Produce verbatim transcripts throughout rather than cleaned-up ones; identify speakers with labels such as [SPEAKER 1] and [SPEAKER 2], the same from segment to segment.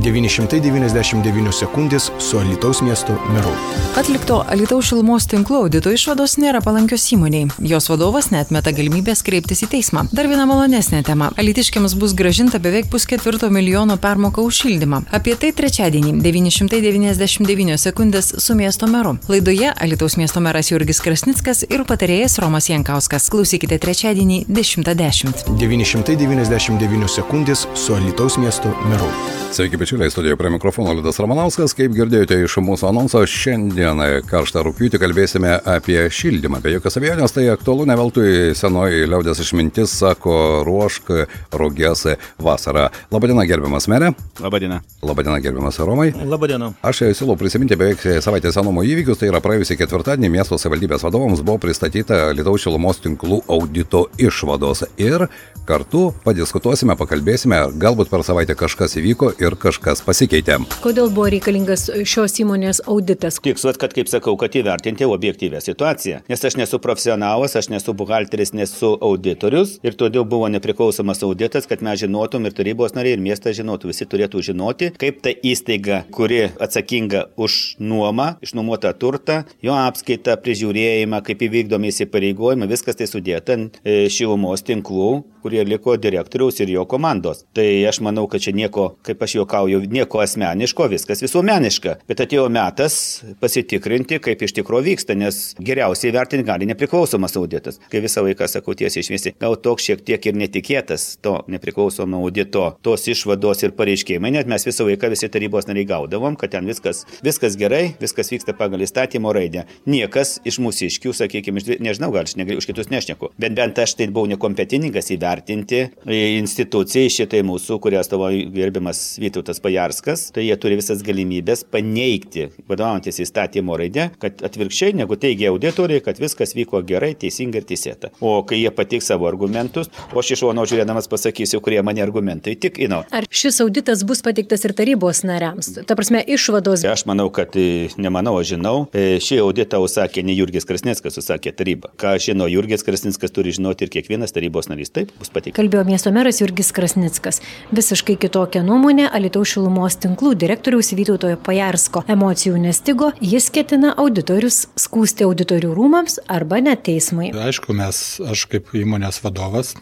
[SPEAKER 1] devyni šimtai devyniasdešimt devynios sekundės su Alytaus miesto meru.
[SPEAKER 2] Atlikto Alytaus šilumos tinklų audito išvados nėra palankios įmoniai. Jos vadovas neatmeta galimybės kreiptis į teismą. Dar viena malonesnė tema. Alytiškiams bus grąžinta beveik pusketvirto milijono permoka už šildymą. Apie tai trečiadienį devyni šimtai devyniasdešimt devynios sekundės su miesto meru. Laidoje Alytaus miesto meras Jurgis Krasnickas ir patarėjas Romas Jankauskas. Klausykite trečiadienį dešimtą dešimt.
[SPEAKER 1] devyni šimtai devyniasdešimt devynios sekundės su Alytaus miesto meru.
[SPEAKER 3] Sveiki, bičiuliai, studijoje prie mikrofono Liudas Ramanauskas. Kaip girdėjote iš mūsų anonso, šiandien karštą rugpjūtį kalbėsime apie šildymą. Be jokios abejonės tai aktualu, ne veltui senoji liaudės išmintis sako ruošk ruges vasarą. Labadiena, gerbiamas merė.
[SPEAKER 4] Labadiena.
[SPEAKER 3] Labadiena, gerbiamas Romai.
[SPEAKER 5] Labadiena.
[SPEAKER 3] Aš siūlau prisiminti beveik savaitės senumo įvykius. Tai yra praėjusį ketvirtadienį miesto savivaldybės vadovams buvo pristatyta Alytaus šilumos tinklų audito išvados. Ir kartu padiskutuosime, pakalbėsime, galbūt per savaitę kažkas įvyko ir kažkas pasikeitė.
[SPEAKER 6] Kodėl buvo reikalingas šios įmonės auditas?
[SPEAKER 4] Tikslas, kad, kaip sakau, kad įvertinti objektyvę situaciją. Nes aš nesu profesionalas, aš nesu buhalteris, nesu auditorius ir todėl buvo nepriklausomas auditas, kad mes žinotum ir tarybos nariai, ir miestas žinotų. Visi turėtų žinoti, kaip ta įstaiga, kuri atsakinga už nuomą, išnuomotą turtą, jo apskaitą, prižiūrėjimą, kaip įvykdomi įsipareigojimai, viskas tai sudėta ant šilumos tinklų, kurie liko direktoriaus ir jo komandos. Tai aš manau, kad čia nieko, kaip aš juokauju, nieko asmeniško, viskas visuomeniška. Bet atėjo metas pasitikrinti, kaip iš tikro vyksta, nes geriausiai vertinti gali nepriklausomas auditas. Kai visą laiką sakau tiesiai šviesiai, gal toks šiek tiek ir netikėtas to nepriklausomo audito, tos išvados ir pareiškimai, net mes visą laiką visi tarybos nariai gaudavom, kad ten viskas, viskas gerai, viskas vyksta pagal įstatymo raidę. Niekas iš mūsiškių, sakykime, nežinau, gal aš negaliu, už kitus nešneku, bet bent aš tai buvau nekompetentingas įvertinti institucijai šitai mūsų, kurią atstovauja gerbiamas Vytautas Pajarskas, tai jie turi visas galimybės paneigti, vadovaujantis įstatymo raidė, kad atvirkščiai, negu teigia auditoriai, kad viskas vyko gerai, teisingai ir teisėta. O kai jie patiks savo argumentus, o aš iš šono žiūrėdamas pasakysiu, kurie mane argumentai tik ino.
[SPEAKER 6] Ar šis auditas bus pateiktas ir tarybos nariams? Ta prasme, išvados.
[SPEAKER 4] Aš manau, kad nemanau, aš žinau. Šį auditą užsakė ne Jurgis Krasnickas, užsakė taryba. Ką žino Jurgis Krasnickas, turi žinoti ir kiekvienas tarybos narys. Taip, bus pateiktas.
[SPEAKER 6] Kalbėjo miesto meras Jurgis Krasnickas. Visiškai kitokia nuomonė Alytaus šilumos tinklų direktoriaus Vytauto Pajarsko. Emocijų nestigo, jis ketina auditorius skųsti auditorių rūmams arba net teismui.
[SPEAKER 5] Aišku, mes, aš kaip įmonės vadovas,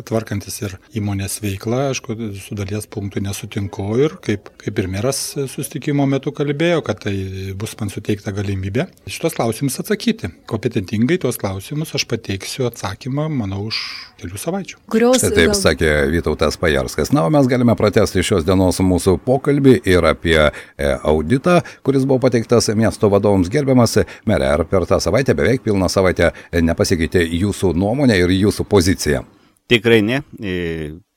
[SPEAKER 5] tvarkantis ir įmonės veiklą, aišku, su dalies punktų nesutinku ir kaip, kaip ir meras susitikimo metu kalbėjo, kad tai bus man suteikta galimybė šitos klausimus atsakyti. Kompetentingai tuos klausimus aš pateiksiu atsakymą, manau, už kelių savaičių.
[SPEAKER 6] Kurios,
[SPEAKER 3] Taip
[SPEAKER 6] gal...
[SPEAKER 3] sakė Vytautas Pajarskas. Na, o mes galime pratęsti šios dienos mūsų pokalbį ir apie auditą, kuris buvo pateiktas miesto vadovams. Gerbiamas merė, ar per tą savaitę, beveik pilną savaitę, nepasikeitė jūsų nuomonė ir jūsų pozicija?
[SPEAKER 4] Tikrai ne,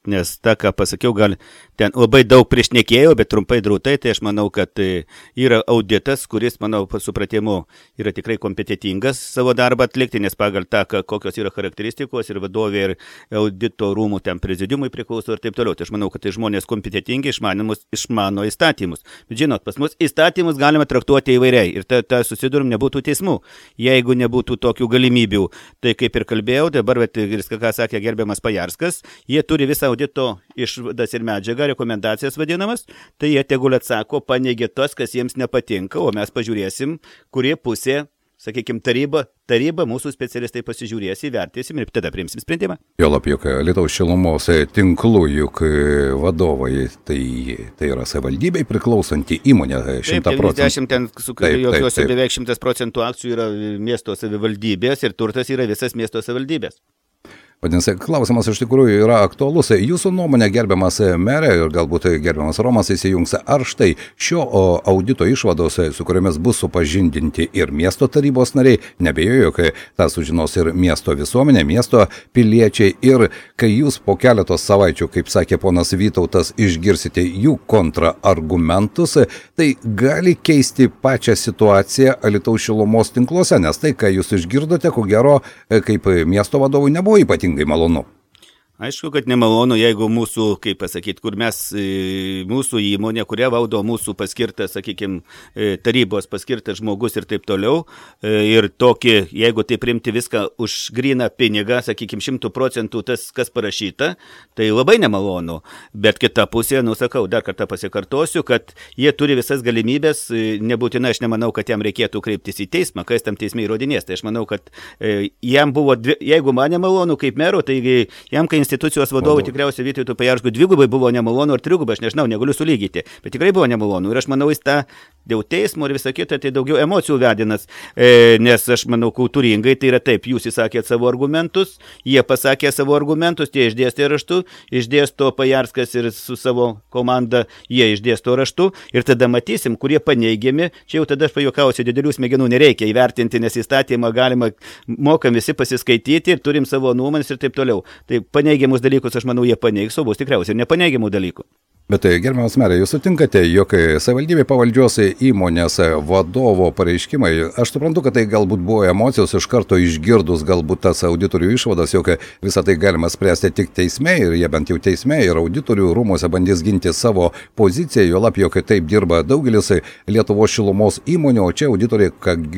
[SPEAKER 4] nes tą, ką pasakiau, gal ten labai daug priešnekėjau, bet trumpai drūtai, tai aš manau, kad yra auditas, kuris, manau, supratimu yra tikrai kompetitingas savo darbą atlikti, nes pagal tą, kokios yra charakteristikos ir vadovė ir audito rūmų ten prezidiumui priklauso ir taip toliau. Tai aš manau, kad tai žmonės kompetitingi, išmanimus, išmano įstatymus. Bet žinot, pas mus įstatymus galima traktuoti įvairiai ir ta, ta susidurum nebūtų teismų. Jeigu nebūtų tokių galimybių, tai kaip ir kalbėjau, dabar, bet viską, ką sakė gerbiamas Pajarskas, jie turi visą audito išvadas ir medžiagą, rekomendacijas vadinamas, tai jie tegul atsako, paneigė tos, kas jiems nepatinka, o mes pažiūrėsim, kurie pusė, sakykime, taryba, taryba, mūsų specialistai pasižiūrės, įvertėsim ir tada priimsim sprendimą.
[SPEAKER 3] Jo lab, juk Alytaus šilumos tinklų, juk vadovai, tai, tai yra savivaldybei priklausanti įmonė šimtą procentų.
[SPEAKER 4] devyniasdešimt ten, su jokiuose beveik šimtas procentų akcijų yra miesto savivaldybės ir turtas yra visas miesto savivaldybės.
[SPEAKER 3] Vadinasi, klausimas iš tikrųjų yra aktualus. Jūsų nuomonė, gerbiamas merė, ir galbūt gerbiamas Romas įsijungs, ar štai šio audito išvados, su kuriomis bus supažindinti ir miesto tarybos nariai, nebejoju, kai tą sužinos ir miesto visuomenė, miesto piliečiai, ir kai jūs po keletos savaičių, kaip sakė ponas Vytautas, išgirsite jų kontraargumentus, tai gali keisti pačią situaciją Alytaus šilumos tinkluose, nes tai, ką jūs išgirdote, ko gero, kaip miesto vadovui nebuvo ypatingai malonu.
[SPEAKER 4] Aišku, kad nemalonu, jeigu mūsų, kaip pasakyti, kur mes, mūsų įmonė, kuria valdo mūsų paskirtas, sakykime, tarybos paskirtas žmogus ir taip toliau, ir tokį, jeigu tai priimti viską už gryną pinigą, sakykime, šimtų procentų tas, kas parašyta, tai labai nemalonu. Bet kita pusė, nusakau, dar kartą pasikartosiu, kad jie turi visas galimybės, nebūtinai aš nemanau, kad jam reikėtų kreiptis į teismą, kas tam teisme įrodinės. Tai aš manau, kad jam buvo, jeigu man nemalonu kaip mero, tai jam, kai institucijos vadovai tikriausiai Vytautui Pajarskui dvigubai buvo nemalonu ar trigubai, aš nežinau, negaliu sulygyti, bet tikrai buvo nemalonu. Ir aš manau, jis tą dėl teismo ir visą kitą, tai daugiau emocijų vedinas, e, nes aš manau, kultūringai tai yra taip, jūs įsakėt savo argumentus, jie pasakė savo argumentus, tie išdėstė raštu, išdėsto Pajarskas ir su savo komanda, jie išdėsto raštu ir tada matysim, kurie paneigiami, čia jau tada aš pajuokausiu, didelių smegenų nereikia įvertinti, nes įstatymą galima, mokam visi pasiskaityti ir turim savo nuomonės ir taip toliau. Tai paneigiamus dalykus, aš manau, jie paneigs, o bus tikriausiai ir nepaneigiamų dalykų.
[SPEAKER 3] Bet gerbiamas merė, jūs sutinkate, jog savivaldybė pavaldžios įmonės vadovo pareiškimai, aš suprantu, kad tai galbūt buvo emocijos iš karto išgirdus galbūt tas auditorių išvadas, jog visą tai galima spręsti tik teisme ir jie bent jau teisme ir auditorių rūmose bandys ginti savo poziciją, jo lab, jog taip dirba daugelis Lietuvos šilumos įmonių, o čia auditoriai,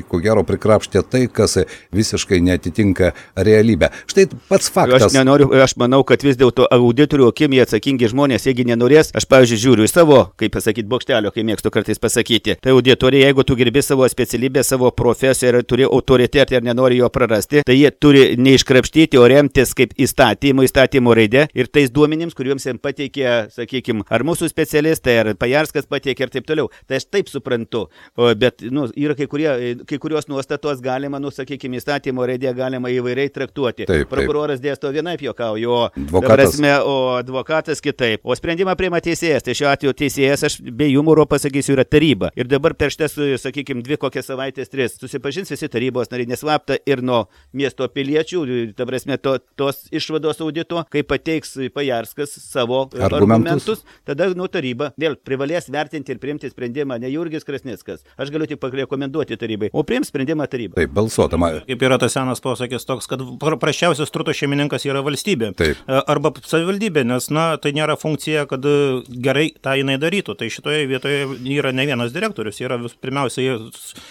[SPEAKER 3] ko gero, prikrapštė tai, kas visiškai neatitinka realybę. Štai pats faktas.
[SPEAKER 4] Aš, nenoriu, aš manau, kad vis dėlto auditorių akimi atsakingi žmonės, jeigu nenorės, aš, pavyzdžiui, žiūriu į savo, kaip pasakyti, bokštelio, kai mėgstu kartais pasakyti. Tai auditorija, jeigu tu gerbi savo specialybę, savo profesiją ir turi autoritetą ir nenori jo prarasti, tai jie turi neiškrapštyti, o remtis kaip įstatymo, įstatymo raidė ir tais duomenims, kuriuoms jiems pateikė, sakykime, ar mūsų specialistai, ar Pajarskas pateikė ir taip toliau. Tai aš taip suprantu, o, bet nu, yra kai, kurie, kai kurios nuostatos galima, nu, sakykime, įstatymo raidė galima įvairiai traktuoti. Taip, taip. Prokuroras dėsto vienaip juokauju, o advokatas. Prasme, o advokatas kitaip. O sprendimą priima teisėjas, tai šiuo atveju teisėjas, aš be humoro pasakysiu, yra taryba. Ir dabar per šitas, sakykime, dvi kokias savaitės, tris, susipažins visi tarybos nariai neslapta ir nuo miesto piliečių, ta prasme, to, tos išvados audito, kai pateiks Pajarskas savo argumentus, argumentus tada nuo taryba vėl privalės vertinti ir priimti sprendimą ne Jurgis Krasnickas. Aš galiu tik parekomenduoti tarybai, o priims sprendimą taryba.
[SPEAKER 3] Taip, balsuotama.
[SPEAKER 7] Kaip yra tas senas posakis toks, kad prasčiausias turto šeimininkas yra valstybė. Taip. Arba savivaldybė, nes, na, tai nėra funkcija, kad gerai tą jinai darytų. Tai šitoje vietoje yra ne vienas direktorius, yra vis, pirmiausia,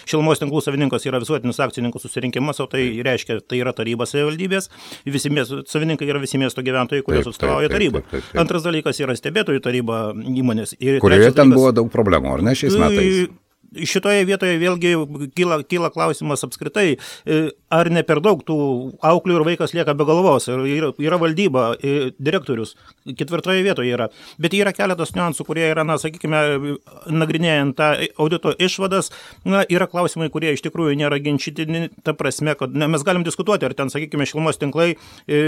[SPEAKER 7] šilumos tinklų savininkas yra visuotinis akcininkų susirinkimas, o tai reiškia, tai yra tarybos savivaldybės, visi miesto, savininkai yra visi miesto gyventojai, kurios atstovauja tarybą. Taip, taip, taip, taip. Antras dalykas yra stebėtojų taryba įmonės. Ir
[SPEAKER 3] kurioje ten
[SPEAKER 7] dalykas,
[SPEAKER 3] buvo daug problemų, ar ne šiais metais?
[SPEAKER 7] Šitoje vietoje vėlgi kyla, kyla klausimas apskritai, ar ne per daug tų auklių ir vaikas lieka be galvos. Yra, yra valdyba, direktorius, ketvirtoje vietoje yra. Bet yra keletas niuansų, kurie yra, na, sakykime, nagrinėjant tą audito išvadas, na, yra klausimai, kurie iš tikrųjų nėra ginčytini, ta prasme, kad ne, mes galim diskutuoti, ar ten, sakykime, šilumos tinklai e,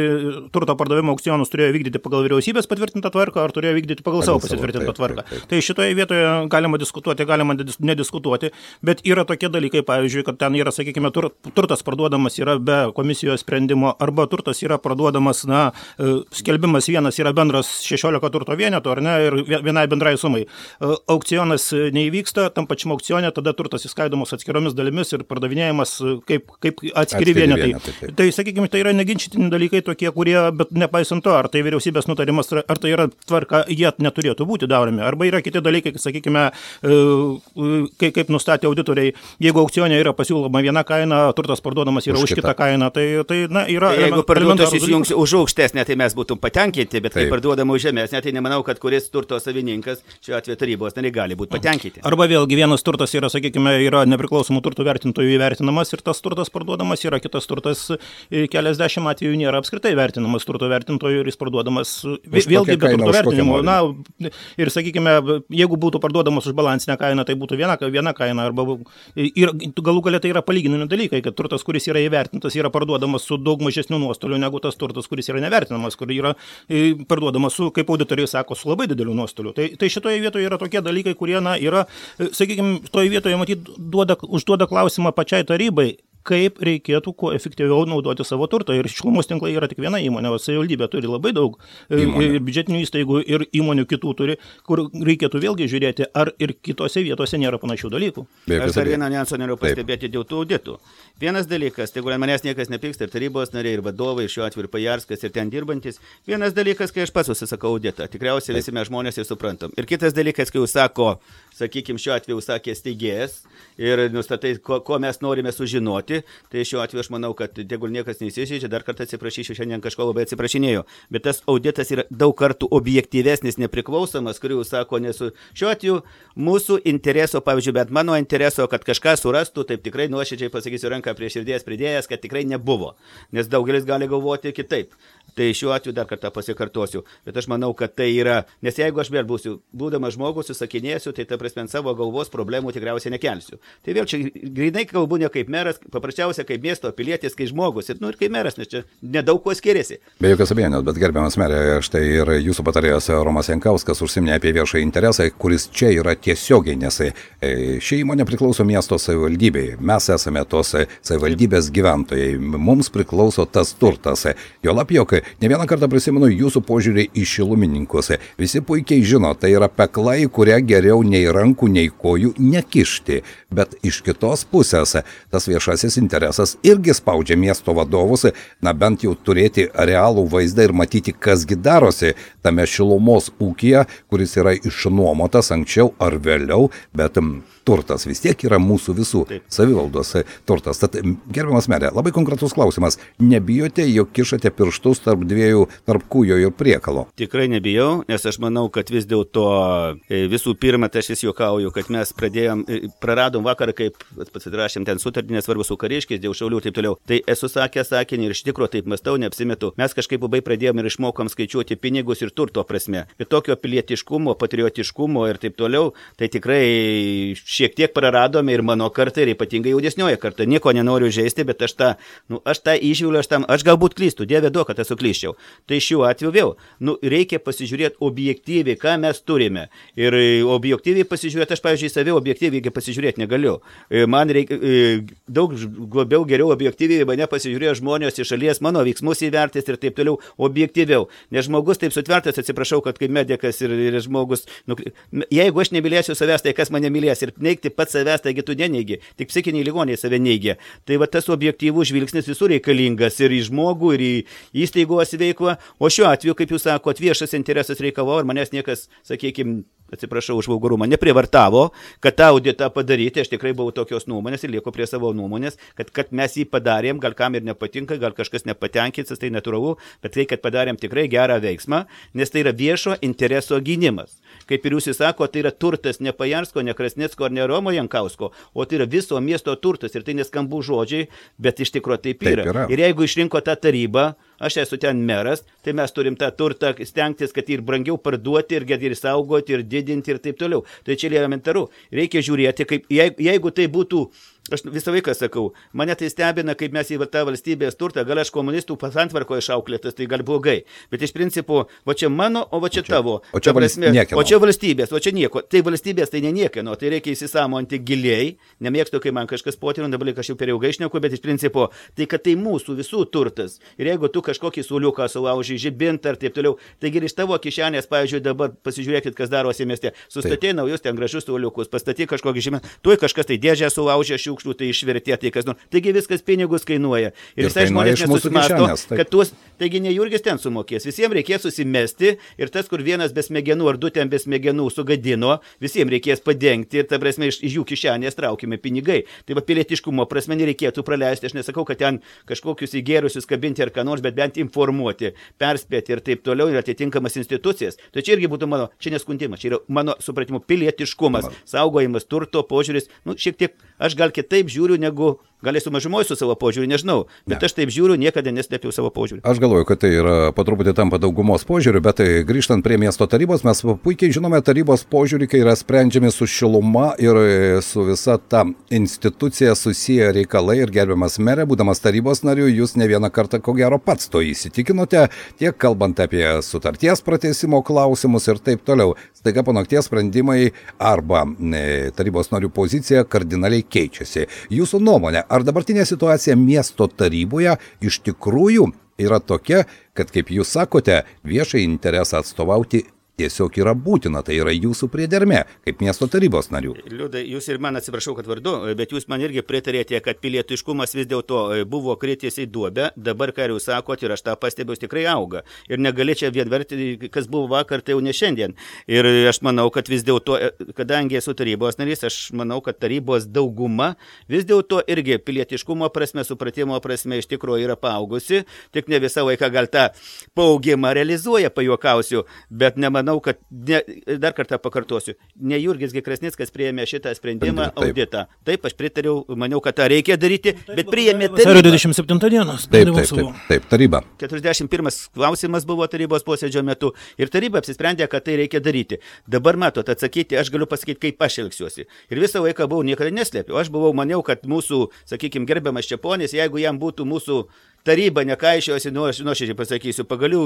[SPEAKER 7] turto pardavimo aukcionus turėjo vykdyti pagal vyriausybės patvirtintą tvarką, ar turėjo vykdyti pagal savo pasitvirtintą tvarką. Taip, taip, taip. Tai šitoje vietoje galima diskutuoti, galima nediskutuoti. diskutuoti, bet yra tokie dalykai, pavyzdžiui, kad ten yra, sakykime, tur, turtas parduodamas yra be komisijos sprendimo, arba turtas yra parduodamas, na, skelbimas vienas yra bendras šešiolika turto vienetų, ar ne, ir vienai bendrai sumai. Aukcionas neįvyksta, tam pačiam aukcione tada turtas įskaidomas atskiromis dalimis ir pardavinėjimas kaip, kaip atskiri vienetai. vienetai tai, sakykime, tai yra neginčytini dalykai tokie, kurie, bet nepaisant to, ar tai vyriausybės nutarimas, ar tai yra tvarka, jie neturėtų būti daromi. Arba yra kiti dalykai, sakykime, Kaip, kaip nustatė auditoriai, jeigu aukcione yra pasiūloma viena kaina, turtas parduodamas yra už, už kitą kainą, tai, tai na, yra... Tai jeigu parduotas įsijungs už aukštesnę, tai mes būtum patenkinti, bet kai parduodama už žemesnę, tai nemanau, kad kuris turto savininkas, šiuo atveju tarybos nariai, gali būti patenkinti. Arba vėlgi vienas turtas yra, sakykime, yra nepriklausomų turtų vertintojų įvertinamas ir tas turtas parduodamas, yra kitas turtas keliasdešimt atvejų nėra apskritai vertinamas turto vertintojų ir jis parduodamas vėlgi be turto vertinimo. Na, ir, sakykime, jeigu būtų parduodamas už balansinę kainą, tai būtų viena viena kaina, arba ir galų galia tai yra palyginami dalykai, kad turtas, kuris yra įvertintas, yra parduodamas su daug mažesniu nuostoliu negu tas turtas, kuris yra nevertinamas, kur yra parduodamas su, kaip auditoriai sako, su labai dideliu nuostoliu. Tai, tai šitoje vietoje yra tokie dalykai, kurie, na, yra, sakykime, toje vietoje, matyt, duoda, užduoda klausimą pačiai tarybai, kaip reikėtų kuo efektyviau naudoti savo turtą. Ir šilumos tinklai yra tik viena įmonė, o savivaldybė turi labai daug įmonė. Biudžetinių įstaigų ir įmonių kitų turi, kur reikėtų vėlgi žiūrėti, ar ir kitose vietose nėra panašių dalykų.
[SPEAKER 4] Aš dar vieną niuansą noriu pastebėti dėl tų auditų. Vienas dalykas, tai manęs niekas nepyksta, ir tarybos nariai, ir vadovai, ir šiuo atveju ir Pajarskas, ir ten dirbantis. Vienas dalykas, kai aš pats užsisakau auditą, tikriausiai visi mes žmonės ir suprantam. Ir kitas dalykas, kai užsako, sakykime, šiuo atveju užsakė steigėjas ir nustatai, ko, ko mes norime sužinoti, tai šiuo atveju aš manau, kad tegul niekas neįsižeidžia, dar kartą atsiprašysiu, šiandien kažko labai atsiprašinėjau, bet tas auditas yra daug kartų objektyvesnis, nepriklausomas, kurį užsako nesu. Šiuo atveju mūsų intereso, pavyzdžiui, bet mano intereso, kad kažką surastų, taip tikrai nuoširdžiai pasakysiu ranką prie širdies pridėjęs, kad tikrai nebuvo, nes daugelis gali galvoti kitaip. Tai šiuo atveju dar kartą pasikartosiu, bet aš manau, kad tai yra, nes jeigu aš vėl būsiu, būdamas žmogus, susakinėsiu, tai ta prasme savo galvos problemų tikriausiai nekelsiu. Tai vėl čia grinai kalbu ne kaip meras, paprasčiausia kaip miesto pilietis, kaip žmogus, ir, nu, ir kaip meras, nes čia nedaug kuo skiriasi.
[SPEAKER 3] Be jokios abejonės, bet gerbiamas merė, štai ir jūsų patarėjas Romas Jankauskas užsiminė apie viešą interesą, kuris čia yra tiesiogiai, nes ši įmonė priklauso miesto savivaldybei. Mes esame tos savivaldybės gyventojai, mums priklauso tas turtas. Juolab, jog ne vieną kartą prisimenu jūsų požiūrį į šilumininkus. Visi puikiai žino, tai yra peklai, kurią geriau nei rankų, nei kojų nekišti. Bet iš kitos pusės tas viešasis interesas irgi spaudžia miesto vadovus, na bent jau turėti realų vaizdą ir matyti, kasgi darosi tame šilumos ūkyje, kuris yra išnuomotas anksčiau ar vėliau, bet turtas vis tiek yra mūsų visų savivaldos turtas. Tad, gerbiamas merė, labai konkretus klausimas. Nebijote, jog kišate pirštus tarp dviejų, tarp kūjo ir priekalo?
[SPEAKER 4] Tikrai nebijau, nes aš manau, kad vis dėlto visų pirma, tai aš vis juokauju, kad mes pradėjom, praradom vakarą, kaip pasirašėm ten sutartį, nesvarbu su kariškiais, dėl šaulių ir taip toliau. Tai esu sakęs sakinį ir iš tikro taip mąstau, neapsimetu. Mes kažkaip labai pradėjom ir išmokom skaičiuoti pinigus ir turto prasme. Ir tokio pilietiškumo, patriotiškumo ir taip toliau, tai tikrai šiek tiek praradome ir mano kartą, ir ypatingai jaunesnioji karta. Nieko nenoriu žaisti, bet aš tą, nu, aš tą įžiūriu, aš tam, aš galbūt klystu, Dieve duok, kad esu klyščiau. Tai šiuo atveju vėl, nu, reikia pasižiūrėti objektyviai, ką mes turime. Ir objektyviai pasižiūrėti, aš, pavyzdžiui, save objektyviai pasižiūrėti negaliu. Man reikia daug labiau geriau objektyviai mane pasižiūrėjo žmonės iš šalies, mano veiksmus įvertis ir taip toliau objektyviau. Nes žmogus taip sutvertas, atsiprašau, kad kaip medikas ir, ir žmogus, nu, jeigu aš nemylėsiu savęs, tai kas mane mylės ir neigti pats savęs, taigi tu neneigi, tik psichiniai ligoniai save neigia. Tai va tas objektyvus žvilgsnis visur reikalingas ir į žmogų, ir į įstaigos veiklą, o šiuo atveju, kaip jūs sakot, viešas interesas reikalavo ir manęs niekas, sakykime, atsiprašau už vulgarumą, neprivartavo, kad tą auditą padaryti, aš tikrai buvau tokios nuomonės ir lieku prie savo nuomonės, kad, kad mes jį padarėm, gal kam ir nepatinka, gal kažkas nepatenkintas, tai natūralu, bet tai, kad padarėm tikrai gerą veiksmą, nes tai yra viešo intereso gynimas. Kaip ir jūs įsako, tai yra turtas ne Pajarsko, ne Krasnicko ar ne Romo Jankausko, o tai yra viso miesto turtas ir tai neskambų žodžiai, bet iš tikro taip yra. Taip yra. Ir jeigu išrinko tą tarybą, aš esu ten meras, tai mes turim tą turtą stengtis, kad ir brangiau parduoti, ir, ir saugoti, ir didinti, ir taip toliau. Tai čia elementaru. Reikia žiūrėti, kaip, jeigu, jeigu tai būtų, aš visą laiką sakau, mane tai stebina, kaip mes į tą valstybės turtą, gal aš komunistų pasantvarko išauklėtas, tai gal blogai. Bet iš principo, va čia mano, o va čia tavo.
[SPEAKER 3] O čia,
[SPEAKER 4] prasme,
[SPEAKER 3] o
[SPEAKER 4] čia valstybės, o čia nieko. Tai valstybės tai ne niekieno, tai reikia įsisamonti giliai. Nemėgstu, kai man kažkas potino, dabar aš jau per ilgai šneku, bet iš principo, tai kad tai mūsų visų turtas. Ir jeigu tu kažkokį suoliuką sulaužai, žibintą ir taip toliau, taigi iš tavo kišenės, pavyzdžiui, dabar pasižiūrėkit, kas darosi mieste. Sustatė naujus ten gražus suoliukus, pastatė kažkokį žibintą, tuoj kažkas tai dėžę sulaužė, šiukšlių, tai išvertė, tai kas nors. Taigi viskas pinigus kainuoja. Ir, ir visai žmonės nesusimasto, kad tuos, taigi ne Jurgis ten sumokės. Visiems reikės susimesti ir tas, kur vienas be smegenų ar du ten be smegenų sugadino, visiems reikės padengti ir ta prasme iš, iš jų kišenės traukime pinigai. Tai va pilietiškumo prasme nereikėtų praleisti. Aš nesakau, kad ten kažkokius įgėrusius kabinti ar ką nors, bet bent informuoti, perspėti ir taip toliau ir atitinkamas institucijas. Tai čia irgi būtų mano, čia neskundimas, čia yra mano supratimu pilietiškumas, saugojimas turto požiūris, nu šiek tiek aš gal kitaip žiūriu negu gal esu mažumoje su savo požiūriu, nežinau, bet ne. Aš taip žiūriu, niekada neslėpiau savo požiūrį.
[SPEAKER 3] Aš galvoju, kad tai yra po truputį tampa daugumos požiūriu, bet tai grįžtant prie miesto tarybos, mes puikiai žinome tarybos požiūrį, kai yra sprendžiami su šiluma ir su visa ta institucija susiję reikalai ir gerbiamas merė, būdamas tarybos nariu, jūs ne vieną kartą ko gero pats to įsitikinote, tiek kalbant apie sutarties pratęsimo klausimus ir taip toliau. Staiga po nakties sprendimai arba e, tarybos narių pozicija kardinaliai keičiasi. mėnesį. Jūsų nuomonė, ar dabartinė situacija miesto taryboje iš tikrųjų yra tokia, kad, kaip jūs sakote, viešai interesą atstovauti tiesiog yra būtina, tai yra jūsų priedermė, kaip miesto tarybos narių.
[SPEAKER 4] Liudai, jūs ir man atsiprašau, kad vardu, bet jūs man irgi pritarėte, kad pilietiškumas vis dėlto buvo kritęs į duobę, dabar, ką jūs sakot, ir aš tą pastebėjau, tikrai auga. Ir negali čia vienverti, kas buvo vakar, tai jau ne šiandien. Ir aš manau, kad vis dėlto, kadangi esu tarybos narys, aš manau, kad tarybos dauguma vis dėlto irgi pilietiškumo prasme, supratimo prasme iš tikrųjų yra paaugusi, tik ne visą laiką gal tą paaugimą realizuoja, pajuokausiu, bet nemanau, kad ne, dar kartą pakartosiu, ne Jurgis Krasnickas priėmė šitą sprendimą, taip, auditą. Taip, aš pritariau, maniau, kad tą reikia daryti, bet priėmė taryba.
[SPEAKER 7] dvidešimt septintą dienos.
[SPEAKER 3] Taip, taip, taip, taip, taryba.
[SPEAKER 4] keturiasdešimt pirmas klausimas buvo tarybos posėdžio metu ir taryba apsisprendė, kad tai reikia daryti. Dabar matot, atsakyti, aš galiu pasakyti, kaip aš elgsiuosi. Ir visą laiką buvau, niekada neslėpiau. Aš buvau, maniau, kad mūsų, sakykime, gerbiamas Čeponis, jeigu jam būtų mūsų taryba nekaišiosi, nu aš nuoširdžiai pasakysiu, pagalių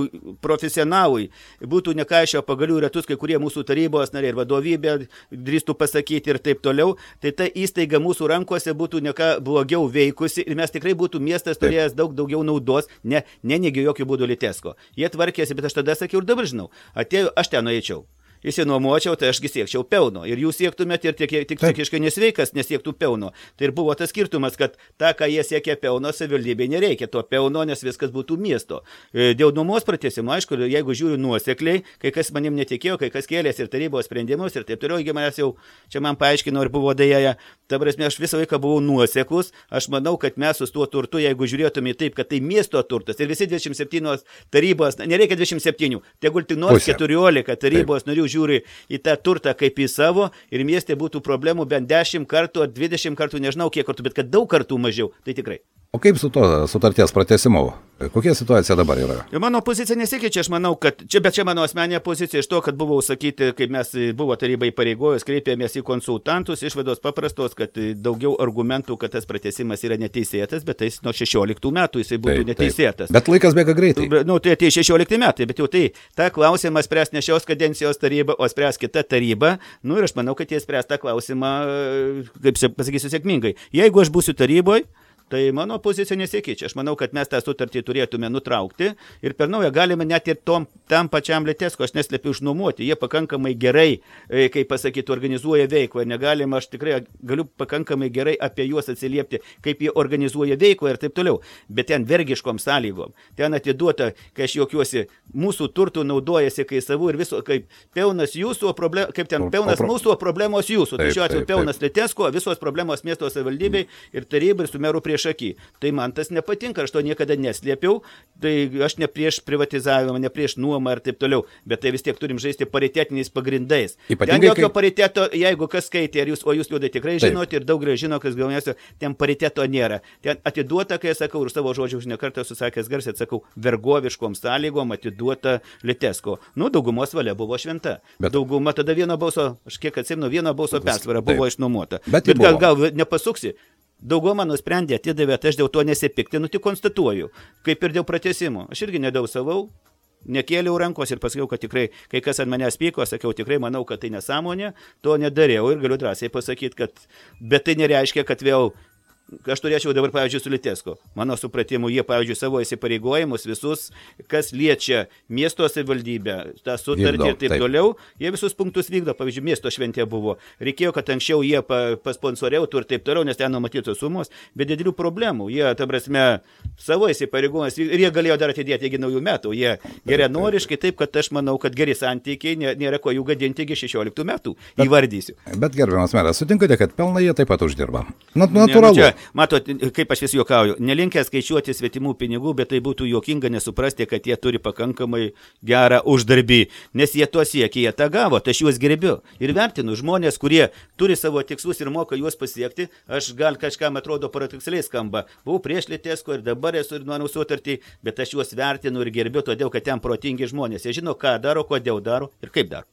[SPEAKER 4] profesionalui būtų nekaišio pagalių ratus, kai kurie mūsų tarybos nariai ir vadovybė drįstų pasakyti ir taip toliau, tai ta įstaiga mūsų rankose būtų neka blogiau veikusi ir mes tikrai būtų miestas turėjęs daug daugiau naudos, ne, neneigiu jokių būdų Litexco. Jie tvarkėsi, bet aš tada sakiau ir dabar žinau, atėjau, aš ten nueičiau. Įsinuomočiau, tai ašgi siekčiau pelno. Ir jūs siektumėte ir tik, tik tikiškai nesveikas nesiektų pelno. Tai ir buvo tas skirtumas, kad tą, ką jie siekia pelno, savivaldybei nereikia to pelno, nes viskas būtų miesto. Dėl nuomos pratęsimo, aišku, jeigu žiūriu nuosekliai, kai kas manim netikėjo, kai kas kėlėsi ir tarybos sprendimus ir taip toliau, jeigu manęs jau čia man paaiškino ir buvo dėja, ta prasme, aš visą laiką buvau nuoseklus. Aš manau, kad mes su tuo turtu, jeigu žiūrėtume taip, kad tai miesto turtas ir visi dvidešimt septynios tarybos, nereikia dvidešimt septynių, tegul tik nors keturiolika tarybos narių žiūri į tą turtą kaip į savo ir mieste būtų problemų bent dešimt kartų ar dvidešimt kartų, nežinau kiek kartų, bet kad daug kartų mažiau, tai tikrai.
[SPEAKER 3] O kaip su to sutarties pratęsimu? Kokia situacija dabar yra?
[SPEAKER 4] Mano pozicija nesikeičia, aš manau, kad čia, bet čia mano asmeninė pozicija iš to, kad buvo sakyti, kaip mes buvo tarybai pareigojus, kreipėmės į konsultantus, išvados paprastos, kad daugiau argumentų, kad tas pratęsimas yra neteisėtas, bet tai nuo šešioliktų metų jisai būtų taip, neteisėtas.
[SPEAKER 3] Taip. Bet laikas bėga greitai.
[SPEAKER 4] Nu, tai atėjo šešiolikti metai, bet jau tai tą klausimą spręs ne šios kadencijos taryba, o spręs kita taryba. Nu ir aš manau, kad jie spręs tą klausimą, kaip pasakysiu, sėkmingai. Jeigu aš būsiu taryboje, tai mano pozicija nesikeičia. Aš manau, kad mes tą sutartį turėtume nutraukti ir per naują galime net ir tom, tam pačiam Litexco, aš neslėpiu, išnuomoti. Jie pakankamai gerai, kaip pasakyti, organizuoja veiklą ir negalima, aš tikrai galiu pakankamai gerai apie juos atsiliepti, kaip jie organizuoja veiklą ir taip toliau. Bet ten vergiškom sąlygom. Ten atiduota, kai aš juokiuosi, mūsų turtų naudojasi kai savų ir viso, kaip pelnas jūsų, o problem, kaip ten pelnas o, o, mūsų, o problemos jūsų. Tai šiuo atveju pelnas Litexco, visos problemos miesto savivaldybei ir tarybai ir su meru prieš akį. Tai man tas nepatinka, aš to niekada neslėpiau, tai aš ne prieš privatizavimą, ne prieš nuomą ir taip toliau, bet tai vis tiek turim žaisti paritetiniais pagrindais. Ypatingai, ten jokio kai... pariteto, jeigu kas skaitė, jūs, o jūs liūdai tikrai žinote ir daug žino, kas galvėsio, ten pariteto nėra. Ten atiduota, kai sakau, ir savo žodžių už nekartą susakęs garsiai, atsakau, vergoviškom sąlygom atiduota Litexco. Nu, daugumos valia buvo šventa. Bet... Dauguma tada vieno balso, aš kiek atsimenu, vieno balso persvara buvo išnuomota. Bet, bet gal, gal nepasuksi. Dauguma nusprendė, atidavė, tai aš dėl to nesipiktinu, tik konstatuoju, kaip ir dėl pratęsimo. Aš irgi nedausavau, nekėliau rankos ir pasakiau, kad tikrai, kai kas ant manęs pyko, sakiau, tikrai manau, kad tai nesąmonė, to nedariau ir galiu drąsiai pasakyti, kad, bet tai nereiškia, kad vėl aš turėčiau dabar, pavyzdžiui, su Litexco. Mano supratimu, jie, pavyzdžiui, savo įsipareigojimus visus, kas liečia miesto savivaldybę, tą sutartį vykdo, ir taip, taip toliau, jie visus punktus vykdo. Pavyzdžiui, miesto šventė buvo. Reikėjo, kad anksčiau jie pa, pasponsoriautų ir taip toliau, nes ten numatytos sumos, bet didelių problemų. Jie, ta prasme, savo įsipareigojimus vykdo ir jie galėjo dar atidėti iki naujų metų. Jie geranoriškai, taip, kad aš manau, kad geri santykiai, nėra ko jų gadinti iki šešioliktų metų. Bet, įvardysiu.
[SPEAKER 3] Bet gerbiamas meras, sutinkate, kad pelną jie taip pat uždirba? Nat, natūralu.
[SPEAKER 4] Ne, nu čia, matot, kaip aš vis juokauju, nelinkę skaičiuoti svetimų pinigų, bet tai būtų juokinga nesuprasti, kad jie turi pakankamai gerą uždarbį, nes jie to siekia, jie tą gavo, tai aš juos gerbiu ir vertinu. Žmonės, kurie turi savo tikslus ir moka juos pasiekti, aš gal kažkam atrodo paradoksaliai skamba, buvau prieš Litexco ir dabar esu ir nuo sutartį, bet aš juos vertinu ir gerbiu, todėl kad ten protingi žmonės, jie žino, ką daro, kodėl daro ir kaip daro.